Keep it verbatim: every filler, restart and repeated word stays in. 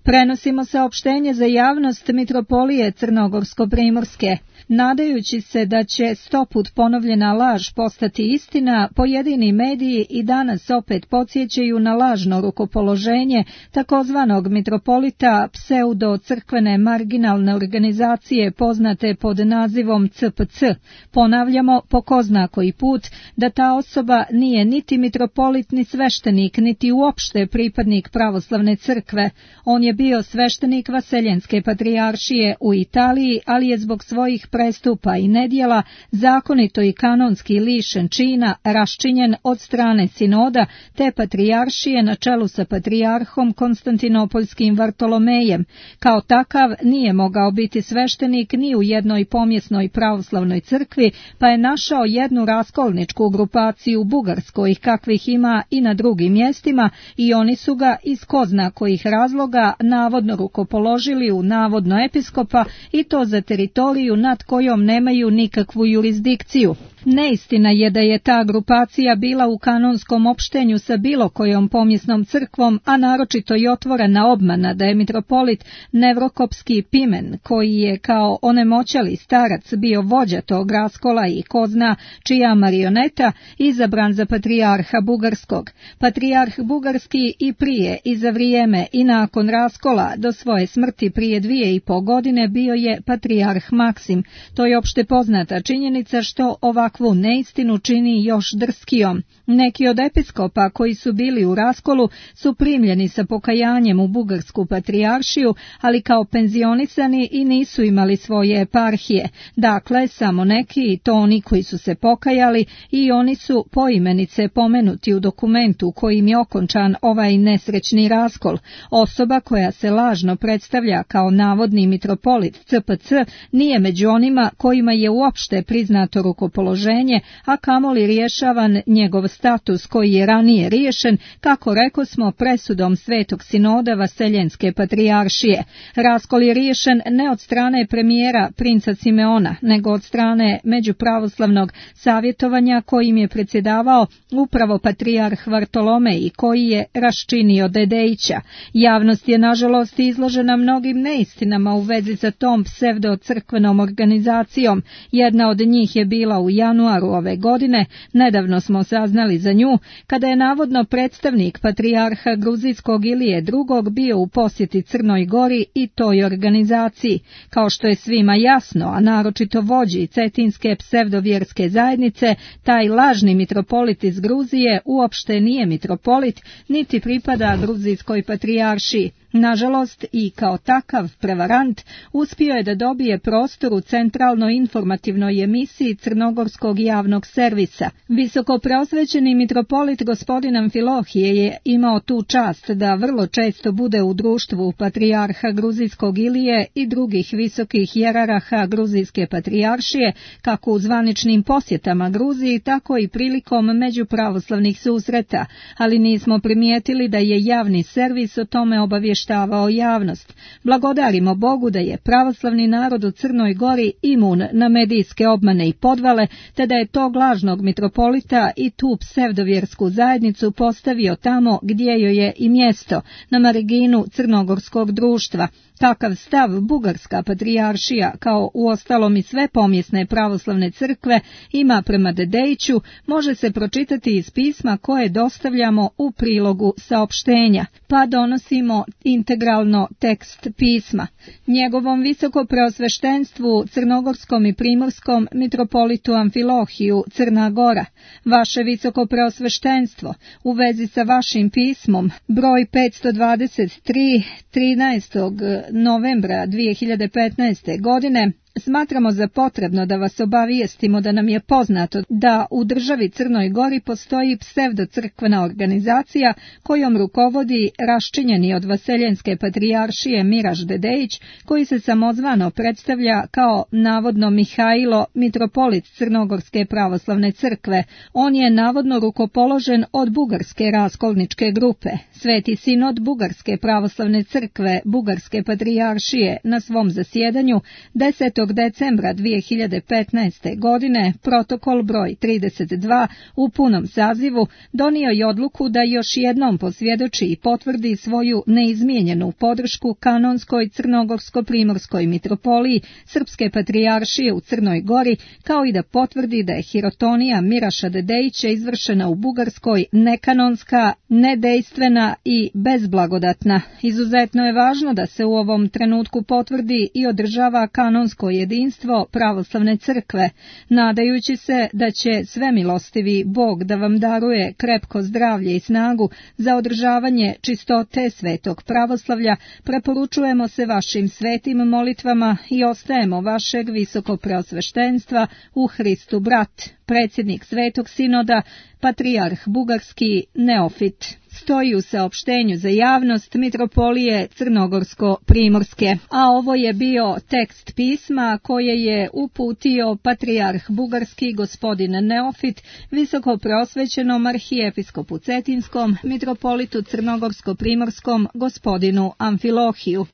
Prenosimo saopštenje za javnost Mitropolije Crnogorsko-Primorske. Nadajući se da će stoput ponovljena laž postati istina, pojedini mediji i danas opet podsjećaju na lažno rukopoloženje takozvanog mitropolita pseudo-crkvene marginalne organizacije poznate pod nazivom C P C. Ponavljamo po ko zna koji put da ta osoba nije niti mitropolit ni sveštenik, niti uopšte pripadnik pravoslavne crkve. On je bio sveštenik Vaseljenske patrijaršije u Italiji, ali je zbog svojih prestupa i nedjela zakonito i kanonski lišen čina, raščinjen od strane sinoda te patrijaršije na čelu sa patrijarhom Konstantinopoljskim Vartolomejem. Kao takav nije mogao biti sveštenik ni u jednoj pomjesnoj pravoslavnoj crkvi, pa je našao jednu raskolničku grupaciju u Bugarskoj, kakvih ima i na drugim mjestima, i oni su ga iz ko zna kojih razloga navodno rukopoložili u navodno episkopa, i to za teritoriju nad kojom nemaju nikakvu jurisdikciju. Neistina je da je ta grupacija bila u kanonskom opštenju sa bilo kojom pomjesnom crkvom, a naročito i otvorena obmana da je mitropolit Nevrokopski Pimen, koji je kao onemoćali starac bio vođa tog raskola i ko zna čija marioneta, izabran za patrijarha Bugarskog. Patrijarh Bugarski i prije i za vrijeme i nakon raskola do svoje smrti prije dvije i po godine bio je patrijarh Maksim. To je opšte poznata činjenica što ovakvu neistinu čini još drskijom. Neki od episkopa koji su bili u raskolu su primljeni sa pokajanjem u Bugarsku patrijaršiju, ali kao penzionisani i nisu imali svoje eparhije. Dakle, samo neki, i to oni koji su se pokajali, i oni su poimenice pomenuti u dokumentu kojim je okončan ovaj nesrećni raskol. Osoba koja se lažno predstavlja kao navodni mitropolit C P C nije među onima kojima je uopšte priznato rukopoloženje, a kamoli rješavan njegov status koji je ranije riješen, kako rekosmo, presudom Svetog sinoda Vaseljenske patrijaršije. Raskol je riješen ne od strane premijera princa Simeona, nego od strane međupravoslavnog savjetovanja kojim je predsjedavao upravo patrijarh Vartolomej i koji je raščinio Dedejića. Javnost je nažalost izložena mnogim neistinama u vezi sa tom pseudo-crkvenom organizacijom. Jedna od njih je bila u januaru ove godine, nedavno smo saznali za nju, kada je navodno predstavnik patrijarha Gruzijskog Ilije drugog bio u posjeti Crnoj Gori i toj organizaciji. Kao što je svima jasno, a naročito vođi cetinske psevdovjerske zajednice, taj lažni mitropolit iz Gruzije uopšte nije mitropolit, niti pripada Gruzijskoj patrijaršiji. Nažalost, i kao takav prevarant uspio je da dobije prostor u centralnoj informativnoj emisiji Crnogorskog javnog servisa. Visoko preosvećeni mitropolit gospodin Amfilohije je imao tu čast da vrlo često bude u društvu patrijarha Gruzijskog Ilije i drugih visokih jeraraha Gruzijske patrijaršije, kako u zvaničnim posjetama Gruziji, tako i prilikom međupravoslavnih susreta, ali nismo primijetili da je javni servis o tome obavještavao javnost. Blagodarimo Bogu da je pravoslavni narod u Crnoj Gori imun na medijske obmane i podvale, te da je tog lažnog mitropolita i tu psevdovjersku zajednicu postavio tamo gdje joj je i mjesto, na marginu crnogorskog društva. Takav stav Bugarska patrijaršija, kao uostalom i sve pomjesne pravoslavne crkve, ima prema Dedejiću, može se pročitati iz pisma koje dostavljamo u prilogu saopštenja, pa donosimo integralno tekst pisma. Njegovom visoko preosveštenstvu crnogorskom i primorskom mitropolitu Amfilohiju, Crna Gora, vaše visoko preosveštenstvo, u vezi sa vašim pismom, broj petsto dvadeset tri, trinaestog novembra dvije hiljade petnaeste. godine, smatramo za potrebno da vas obavijestimo da nam je poznato da u državi Crnoj Gori postoji psevdocrkvena organizacija kojom rukovodi raščinjeni od Vaseljenske patrijaršije Miraž Dedejić, koji se samozvano predstavlja kao navodno Mihajlo, mitropolit Crnogorske pravoslavne crkve. On je navodno rukopoložen od Bugarske raskolničke grupe. Sveti sinod Bugarske pravoslavne crkve Bugarske patrijaršije na svom zasjedanju desetog dvadesetog decembra dvije hiljade petnaeste. godine protokol broj trideset dva u punom sazivu donio je odluku da još jednom posvjedoči i potvrdi svoju neizmijenjenu podršku kanonskoj crnogorsko-primorskoj mitropoliji Srpske patrijaršije u Crnoj Gori, kao i da potvrdi da je hirotonija Miraša Dedejića izvršena u Bugarskoj nekanonska, nedejstvena i bezblagodatna. Izuzetno je važno da se u ovom trenutku potvrdi i održava kanonsko jedinstvo pravoslavne crkve, nadajući se da će svemilostivi Bog da vam daruje krepko zdravlje i snagu za održavanje čistote svetog pravoslavlja, preporučujemo se vašim svetim molitvama i ostajemo vašeg visokopreosveštenstva u Hristu brat, predsjednik Svetog sinoda, patrijarh bugarski Neofit. Stoji u saopštenju za javnost Mitropolije Crnogorsko-primorske. A ovo je bio tekst pisma koje je uputio patrijarh bugarski gospodin Neofit visoko preosvećenom arhijepiskopu Cetinskom, mitropolitu Crnogorsko-primorskom gospodinu Amfilohiju.